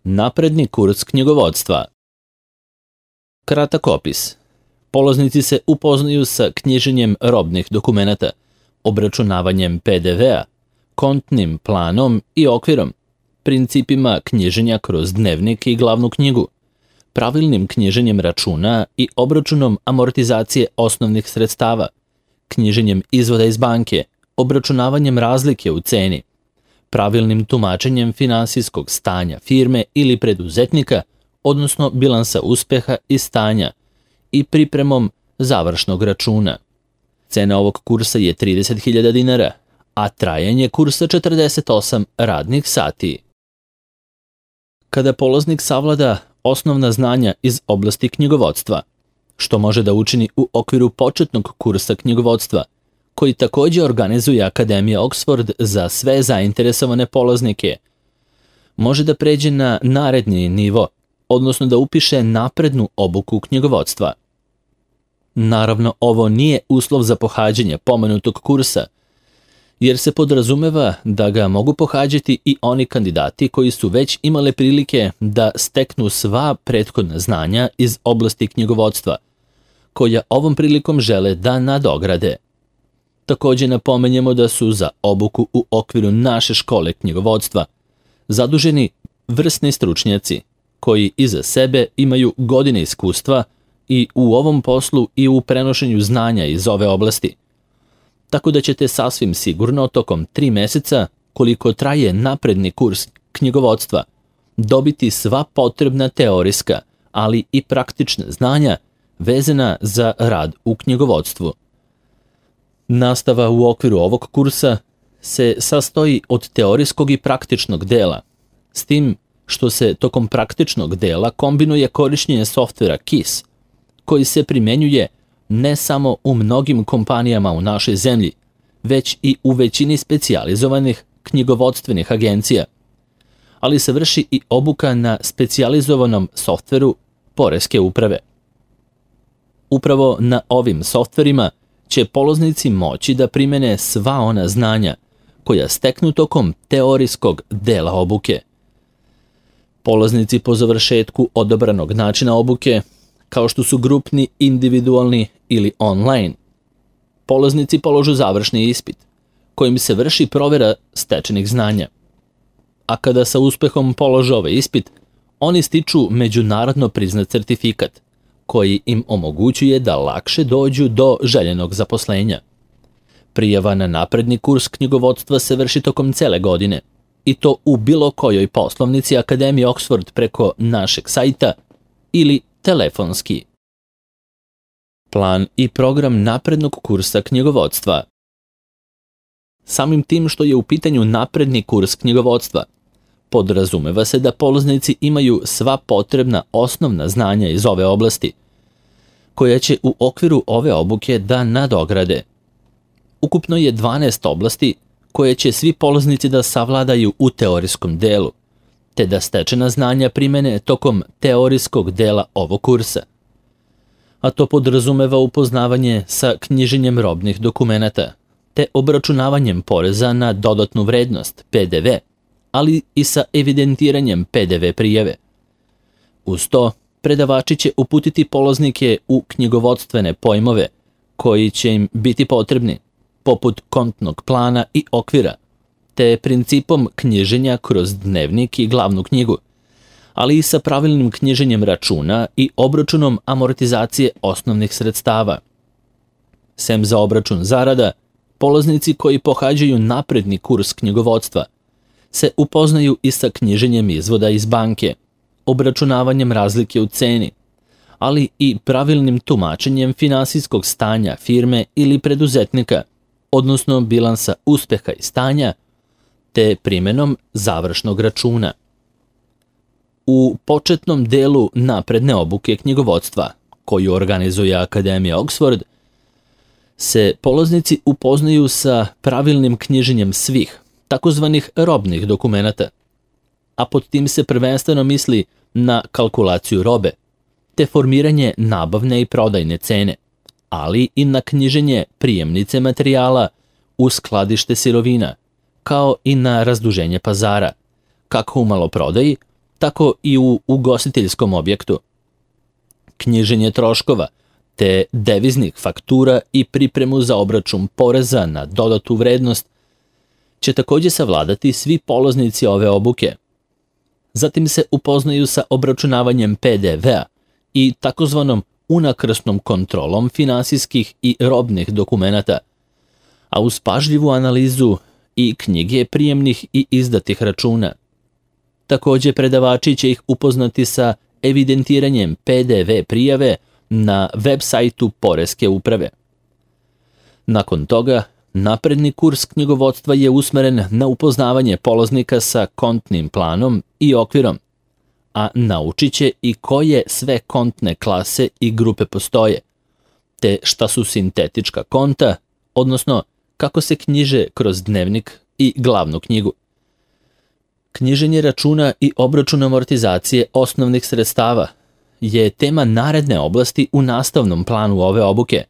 Napredni kurs knjigovodstva. Kratak opis. Polaznici se upoznaju sa knjiženjem robnih dokumenata, obračunavanjem PDV-a, kontnim planom i okvirom, principima knjiženja kroz dnevnik i glavnu knjigu, pravilnim knjiženjem računa i obračunom amortizacije osnovnih sredstava, knjiženjem izvoda iz banke, obračunavanjem razlike u ceni, pravilnim tumačenjem finansijskog stanja firme ili preduzetnika, odnosno bilansa uspeha i stanja, i pripremom završnog računa. Cena ovog kursa je 30.000 dinara, a trajanje kursa 48 radnih sati. Kada polaznik savlada osnovna znanja iz oblasti knjigovodstva, što može da učini u okviru početnog kursa knjigovodstva, koji takođe organizuje Akademija Oxford za sve zainteresovane polaznike, može da pređe na naredni nivo, odnosno da upiše naprednu obuku knjigovodstva. Naravno, ovo nije uslov za pohađanje pomenutog kursa, jer se podrazumeva da ga mogu pohađati i oni kandidati koji su već imale prilike da steknu sva prethodna znanja iz oblasti knjigovodstva, koja ovom prilikom žele da nadograde. Takođe napomenjemo da su za obuku u okviru naše škole knjigovodstva zaduženi vrsni stručnjaci, koji iza sebe imaju godine iskustva i u ovom poslu i u prenošenju znanja iz ove oblasti. Tako da ćete sasvim sigurno tokom 3 meseca, koliko traje napredni kurs knjigovodstva, dobiti sva potrebna teorijska, ali i praktična znanja vezana za rad u knjigovodstvu. Nastava u okviru ovog kursa se sastoji od teorijskog i praktičnog dela, s tim što se tokom praktičnog dela kombinuje korišćenje softvera KISS, koji se primenjuje ne samo u mnogim kompanijama u našoj zemlji, već i u većini specijalizovanih knjigovodstvenih agencija, ali se vrši i obuka na specijalizovanom softveru poreske uprave. Upravo na ovim softverima će polaznici moći da primene sva ona znanja koja steknu tokom teorijskog dela obuke. Polaznici po završetku odabranog načina obuke, kao što su grupni, individualni ili online, polaznici položu završni ispit, kojim se vrši provera stečenih znanja. A kada sa uspehom polože ovaj ispit, oni stiču međunarodno priznat certifikat, koji im omogućuje da lakše dođu do željenog zaposlenja. Prijava na napredni kurs knjigovodstva se vrši tokom cele godine, i to u bilo kojoj poslovnici Akademije Oxford preko našeg sajta ili telefonski. Plan i program naprednog kursa knjigovodstva. Samim tim što je u pitanju napredni kurs knjigovodstva, podrazumeva se da polaznici imaju sva potrebna osnovna znanja iz ove oblasti, koja će u okviru ove obuke da nadograde. Ukupno je 12 oblasti koje će svi polaznici da savladaju u teorijskom delu, te da stečena znanja primene tokom teorijskog dela ovog kursa. A to podrazumeva upoznavanje sa knjiženjem robnih dokumenata, te obračunavanjem poreza na dodatnu vrednost, PDV, ali i sa evidentiranjem PDV prijave. Uz to, predavači će uputiti polaznike u knjigovodstvene pojmove koji će im biti potrebni, poput kontnog plana i okvira, te principom knjiženja kroz dnevnik i glavnu knjigu, ali i sa pravilnim knjiženjem računa i obračunom amortizacije osnovnih sredstava. Sem za obračun zarada, polaznici koji pohađaju napredni kurs knjigovodstva se upoznaju i sa knjiženjem izvoda iz banke, obračunavanjem razlike u ceni, ali i pravilnim tumačenjem finansijskog stanja firme ili preduzetnika, odnosno bilansa uspeha i stanja, te primenom završnog računa. U početnom delu napredne obuke knjigovodstva, koju organizuje Akademija Oxford, se polaznici upoznaju sa pravilnim knjiženjem svih, takozvanih robnih dokumenata, a pod tim se prvenstveno misli na kalkulaciju robe, te formiranje nabavne i prodajne cene, ali i na knjiženje prijemnice materijala u skladište sirovina, kao i na razduženje pazara, kako u maloprodaji, tako i u ugostiteljskom objektu. Knjiženje troškova, te deviznih faktura i pripremu za obračun poreza na dodatu vrednost će također savladati svi polaznici ove obuke. Zatim se upoznaju sa obračunavanjem PDV-a i takozvanom unakrsnom kontrolom finansijskih i robnih dokumenata, a uz pažljivu analizu i knjige prijemnih i izdatih računa. Također predavači će ih upoznati sa evidentiranjem PDV prijave na web sajtu Poreske uprave. Nakon toga, napredni kurs knjigovodstva je usmeren na upoznavanje polaznika sa kontnim planom i okvirom, a naučit će i koje sve kontne klase i grupe postoje, te šta su sintetička konta, odnosno kako se knjiže kroz dnevnik i glavnu knjigu. Knjiženje računa i obračun amortizacije osnovnih sredstava je tema naredne oblasti u nastavnom planu ove obuke,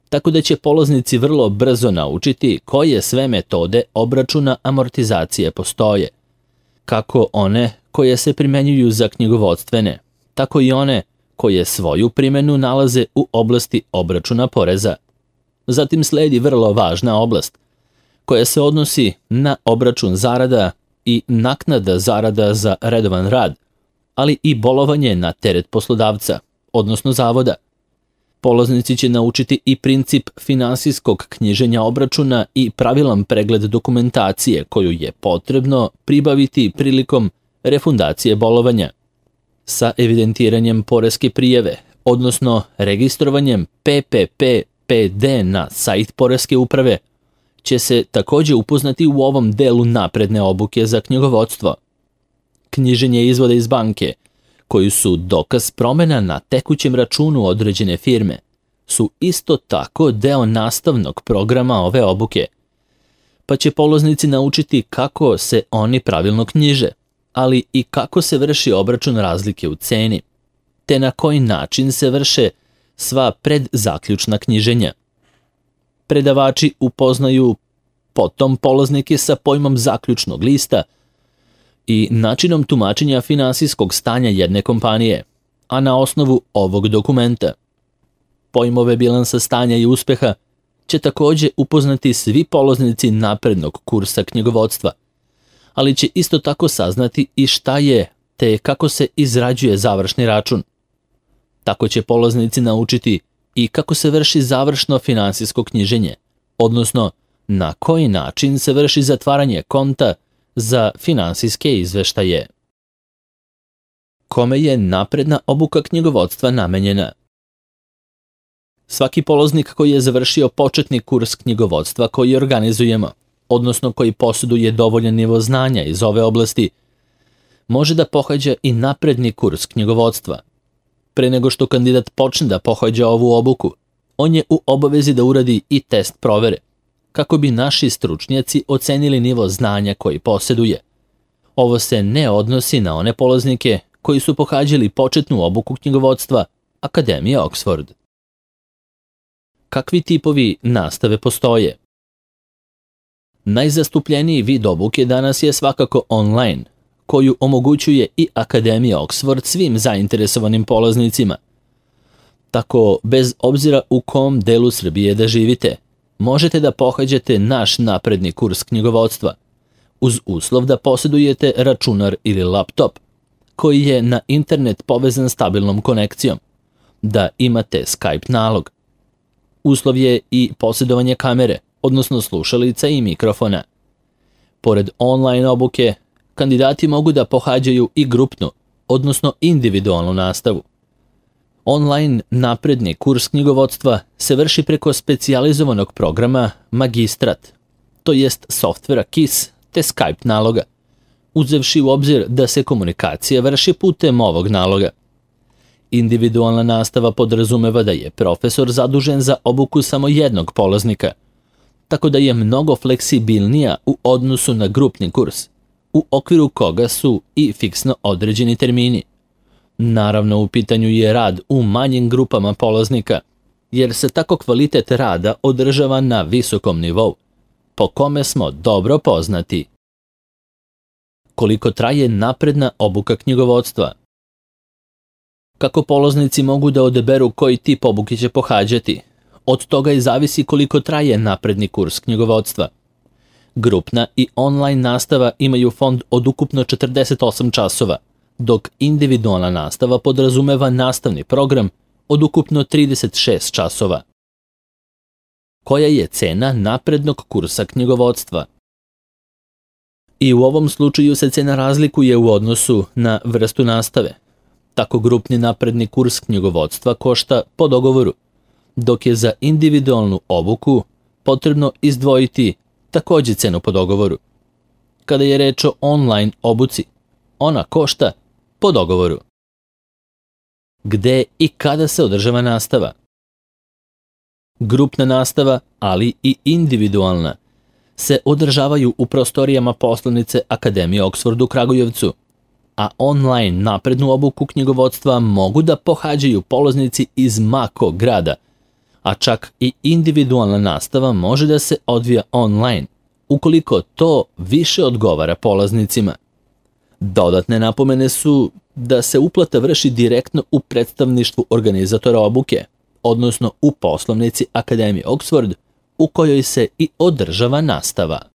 tako da će polaznici vrlo brzo naučiti koje sve metode obračuna amortizacije postoje, kako one koje se primenjuju za knjigovodstvene, tako i one koje svoju primjenu nalaze u oblasti obračuna poreza. Zatim sledi vrlo važna oblast, koja se odnosi na obračun zarada i naknada zarada za redovan rad, ali i bolovanje na teret poslodavca, odnosno zavoda. Polaznici će naučiti i princip finansijskog knjiženja obračuna i pravilan pregled dokumentacije koju je potrebno pribaviti prilikom refundacije bolovanja. Sa evidentiranjem poreske prijave, odnosno registrovanjem PPP-PD na sajt Poreske uprave, će se također upoznati u ovom delu napredne obuke za knjigovodstvo. Knjiženje izvoda iz banke, koji su dokaz promjena na tekućem računu određene firme, su isto tako deo nastavnog programa ove obuke, pa će polaznici naučiti kako se oni pravilno knjiže, ali i kako se vrši obračun razlike u ceni, te na koji način se vrše sva predzaključna knjiženja. Predavači upoznaju potom polaznike sa pojmom zaključnog lista i načinom tumačenja finansijskog stanja jedne kompanije, a na osnovu ovog dokumenta. Pojmove bilansa stanja i uspeha će također upoznati svi polaznici naprednog kursa knjigovodstva, ali će isto tako saznati i šta je, te kako se izrađuje završni račun. Tako će polaznici naučiti i kako se vrši završno finansijsko knjiženje, odnosno na koji način se vrši zatvaranje konta za finansijske izveštaje. Kome je napredna obuka knjigovodstva namenjena? Svaki polaznik koji je završio početni kurs knjigovodstva koji organizujemo, odnosno koji posjeduje dovoljan nivo znanja iz ove oblasti, može da pohađa i napredni kurs knjigovodstva. Pre nego što kandidat počne da pohađa ovu obuku, on je u obavezi da uradi i test provere, kako bi naši stručnjaci ocenili nivo znanja koji posjeduje. Ovo se ne odnosi na one polaznike koji su pohađali početnu obuku knjigovodstva Akademije Oxford. Kakvi tipovi nastave postoje? Najzastupljeniji vid obuke danas je svakako online, koju omogućuje i Akademija Oxford svim zainteresovanim polaznicima. Tako, bez obzira u kom delu Srbije da živite, možete da pohađate naš napredni kurs knjigovodstva, uz uslov da posjedujete računar ili laptop, koji je na internet povezan stabilnom konekcijom, da imate Skype nalog. Uslov je i posjedovanje kamere, odnosno slušalica i mikrofona. Pored online obuke, kandidati mogu da pohađaju i grupnu, odnosno individualnu nastavu. Online napredni kurs knjigovodstva se vrši preko specijalizovanog programa Magistrat, to jest softvera KISS te Skype naloga, uzevši u obzir da se komunikacija vrši putem ovog naloga. Individualna nastava podrazumeva da je profesor zadužen za obuku samo jednog polaznika, tako da je mnogo fleksibilnija u odnosu na grupni kurs, u okviru koga su i fiksno određeni termini. Naravno, u pitanju je rad u manjim grupama polaznika, jer se tako kvalitet rada održava na visokom nivou, po kome smo dobro poznati. koliko traje napredna obuka knjigovodstva. Kako polaznici mogu da odaberu koji tip obuke će pohađati? Od toga i zavisi koliko traje napredni kurs knjigovodstva. Grupna i online nastava imaju fond od ukupno 48 časova, dok individualna nastava podrazumeva nastavni program od ukupno 36 časova. Koja je cena naprednog kursa knjigovodstva? I u ovom slučaju se cena razlikuje u odnosu na vrstu nastave. Tako grupni napredni kurs knjigovodstva košta po dogovoru, dok je za individualnu obuku potrebno izdvojiti takođe cenu po dogovoru. Kada je reč o online obuci, ona košta po dogovoru. Gde i kada se održava nastava? Grupna nastava, ali i individualna, se održavaju u prostorijama poslovnice Akademije Oxford u Kragujevcu, a online naprednu obuku knjigovodstva mogu da pohađaju polaznici iz ma kog grada, a čak i individualna nastava može da se odvija online, ukoliko to više odgovara polaznicima. Dodatne napomene su da se uplata vrši direktno u predstavništvu organizatora obuke, odnosno u poslovnici Akademije Oxford, u kojoj se i održava nastava.